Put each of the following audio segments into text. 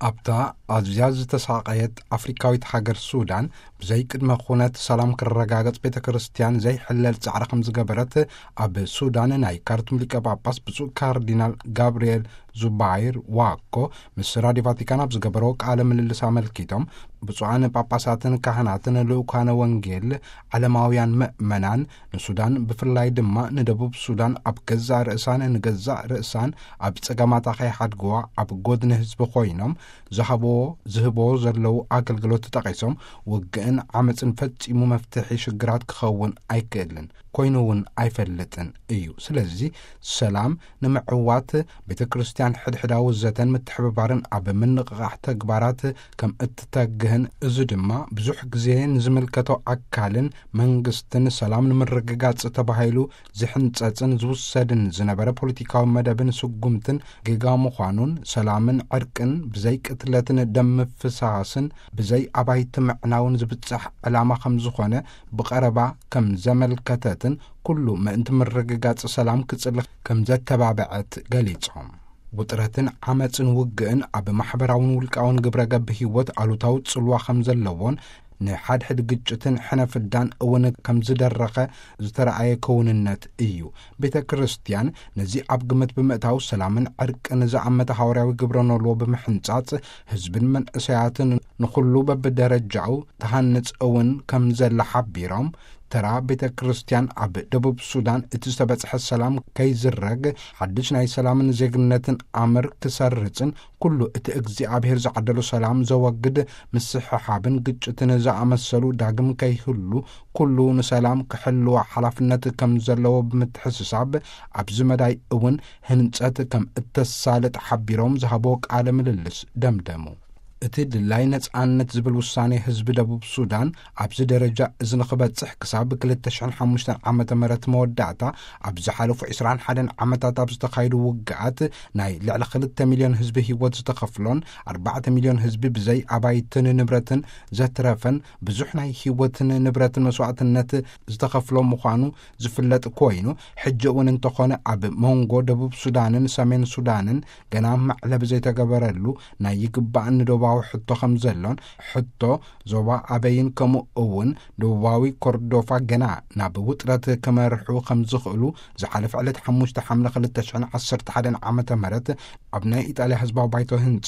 ኣብታ ኣዝያ ዝተሳቐየት ኣፍሪካዊት ሃገር ሱዳን፣ ብዘይ ቅድመ ኩነት ሰላም ክረጋገጽ ቤተ ክርስቲያን ዘይሕለል ጻዕሪ ከም ዝገበረት፣ ኣብ ሱዳን ናይ ካርቱም ሊቀ ጳጳስ ብፁዕ ካርዲናል ጋብርኤል ዙባይር ዋኮ ምስ ራዲዮ ቫቲካን ኣብ ዝገበሮ ቃለ ምልልስ ኣመልኪቶም፣ ብፁዓን ጳጳሳትን ካህናትን ልኡካነ ወንጌል፣ ዓለማውያን ምእመናን፣ ንሱዳን ብፍላይ ድማ ንደቡብ ሱዳን ኣብ ገዛእ ርእሳን ንገዛእ ርእሳን ኣብ ጸገማታ ከይሓድግዋ ኣብ ጎድኒ ህዝቢ ኮይኖም ዝሃብዎ ዝህብዎ ዘለዉ ኣገልግሎት ጠቒሶም፣ ውግእን ዓመጽን ፈጺሙ መፍትሒ ሽግራት ክኸውን ኣይክእልን፣ ኮይኑ እውን ኣይፈልጥን እዩ። ስለዚ ሰላም ንምዕዋት ቤተ ክርስቲያን ሕድሕዳዊ ዘተን ምትሕብባርን ኣብ ምንቕቓሕ ተግባራት ከም እትተግህን፣ እዚ ድማ ብዙሕ ግዜ ንዝምልከቶ ኣካልን መንግስትን ሰላም ንምርግጋጽ ተባሂሉ ዝሕንጸጽን ዝውሰድን ዝነበረ ፖለቲካዊ መደብን ስጉምትን ጌጋ ምዃኑን፣ ሰላምን ዕርቅን ብዘይ ቅትለትን ደም ምፍሳስን ብዘይ ኣባይቲ ምዕናውን ዝብጻሕ ዕላማ ከም ዝኾነ ብቐረባ ከም ዘመልከተትን፣ ኩሉ ምእንቲ ምርግጋጽ ሰላም ክጽልኽ ከም ዘተባብዐት ገሊጾም። ውጥረትን ዓመጽን ውግእን ኣብ ማሕበራውን ውልቃውን ግብረ ገብ ህይወት ኣሉታዊ ጽልዋ ከም ዘለዎን፣ ንሓድሕድ ግጭትን ሕነ ፍዳን እውን ከም ዝደረኸ ዝተረኣየ ክውንነት እዩ። ቤተ ክርስቲያን ነዚ ኣብ ግምት ብምእታው፣ ሰላምን ዕርቅን ዝኣመተ ሃዋርያዊ ግብረ ኖልዎ ብምሕንጻጽ፣ ህዝብን መንእሰያትን ንኹሉ በብደረጃኡ ተሃንጽ እውን ከም ዘላ ሓቢሮም፣ ተራ ቤተ ክርስቲያን ኣብ ደቡብ ሱዳን እቲ ዝተበጽሐ ሰላም ከይዝረግ፣ ሓድሽ ናይ ሰላምን ዜግነትን ኣምር ክሰርጽን፣ ኩሉ እቲ እግዚኣብሔር ዝዓደሎ ሰላም ዘወግድ ምስሕሓብን ግጭትን ዝኣመሰሉ ዳግም ከይህሉ፣ ኩሉ ንሰላም ክሕልዋ ሓላፍነት ከም ዘለዎ ብምትሕስሳብ፣ ኣብዚ መዳይ እውን ህንጸት ከም እተሳልጥ ሓቢሮም ዝሃቦ ቃለ ምልልስ ደምደሙ። እቲ ድላይ ነጻነት ዝብል ውሳኔ ህዝቢ ደቡብ ሱዳን ኣብዚ ደረጃ እዚ ንኽበጽሕ፣ ክሳብ ክልተ ሽሕን ሓሙሽተን ዓመተ ምህረት መወዳእታ፣ ኣብ ዝሓለፉ ዕስራን ሓደን ዓመታት ኣብ ዝተኻየዱ ውግኣት፣ ናይ ልዕሊ ክልተ ሚልዮን ህዝቢ ህይወት ዝተኸፍሎን፣ ኣርባዕተ ሚልዮን ህዝቢ ብዘይ ኣባይትን ንብረትን ዘትረፈን፣ ብዙሕ ናይ ህይወትን ንብረትን መስዋእትነት ዝተኸፍሎ ምዃኑ ዝፍለጥ ኮይኑ፣ ሕጂ እውን እንተኾነ ኣብ መንጎ ደቡብ ሱዳንን ሰሜን ሱዳንን ገና መዕለቢ ዘይተገበረሉ ናይ ይግባእን ዶባዊ ሕቶ ከም ዘሎን፣ ሕቶ ዞባ ኣበይን ከምኡ እውን ደቡባዊ ኮርዶፋ ገና ናብ ውጥረት ክመርሑ ከም ዝኽእሉ ዝሓለፈ ዕለት ሓሙሽተ ሓምለ ክልተ ሽሕን ዓሰርተ ሓደን ዓመተ ምህረት ኣብ ናይ ኢጣልያ ህዝባዊ ባይቶ ህንጻ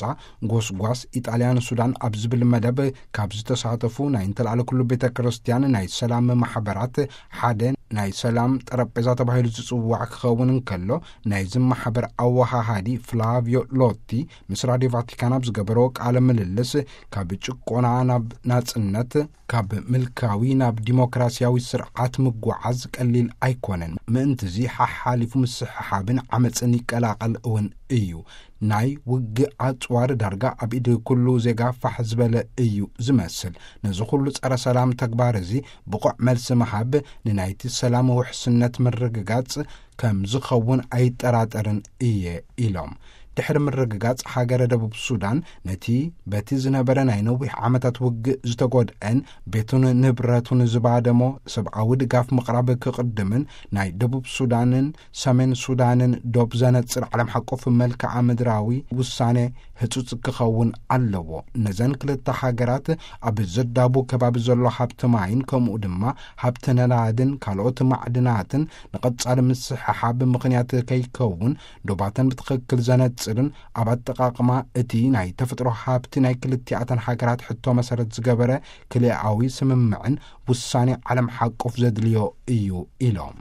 ጎስጓስ ኢጣልያ ንሱዳን ኣብ ዝብል መደብ ካብ ዝተሳተፉ ናይ እንተልኣለ ኩሉ ቤተ ክርስቲያን ናይ ሰላም ማሕበራት ሓደ ናይ ሰላም ጠረጴዛ ተባሂሉ ዝጽዋዕ ክኸውን እንከሎ፣ ናይዚ ማሕበር ኣወሃሃዲ ፍላቪዮ ሎቲ ምስ ራዲዮ ቫቲካን ኣብ ዝገበሮ ቃለ ምልልስ፣ ካብ ጭቆና ናብ ናጽነት፣ ካብ ምልካዊ ናብ ዲሞክራሲያዊ ስርዓት ምጉዓዝ ቀሊል ኣይኮነን። ምእንትዚ ሓሓሊፉ ምስሕሓብን ዓመጽን ይቀላቐል እውን እዩ። ናይ ውግእ ኣጽዋር ዳርጋ ኣብ ኢድ ኩሉ ዜጋ ፋሕ ዝበለ እዩ ዝመስል። ነዚ ኩሉ ጸረ ሰላም ተግባር እዚ ብቑዕ መልሲ ምሃብ ንናይቲ ሰላም ውሕስነት ምርግጋጽ ከም ዝኸውን ኣይጠራጠርን እየ ኢሎም። ድሕሪ ምርግጋጽ ሃገረ ደቡብ ሱዳን፣ ነቲ በቲ ዝነበረ ናይ ነዊሕ ዓመታት ውግእ ዝተጎድአን ቤቱን ንብረቱን ዝባደሞ ሰብኣዊ ድጋፍ ምቕራብ ክቕድምን፣ ናይ ደቡብ ሱዳንን ሰሜን ሱዳንን ዶብ ዘነጽር ዓለም ሓቆፍ መልክዓ ምድራዊ ውሳኔ ህጹጽ ክኸውን ኣለዎ። ነዘን ክልተ ሃገራት ኣብ ዘዳቡ ከባቢ ዘሎ ሃብቲ ማይን ከምኡ ድማ ሃብቲ ነዳድን ካልኦት ማዕድናትን ንቐጻሊ ምስሕሓብ ምኽንያት ከይከውን፣ ዶባተን ብትኽክል ዘነጽርን ኣብ ኣጠቓቕማ እቲ ናይ ተፈጥሮ ሃብቲ ናይ ክልቲኣተን ሃገራት ሕቶ መሰረት ዝገበረ ክልኣዊ ስምምዕን ውሳኔ ዓለም ሓቆፍ ዘድልዮ እዩ ኢሎም።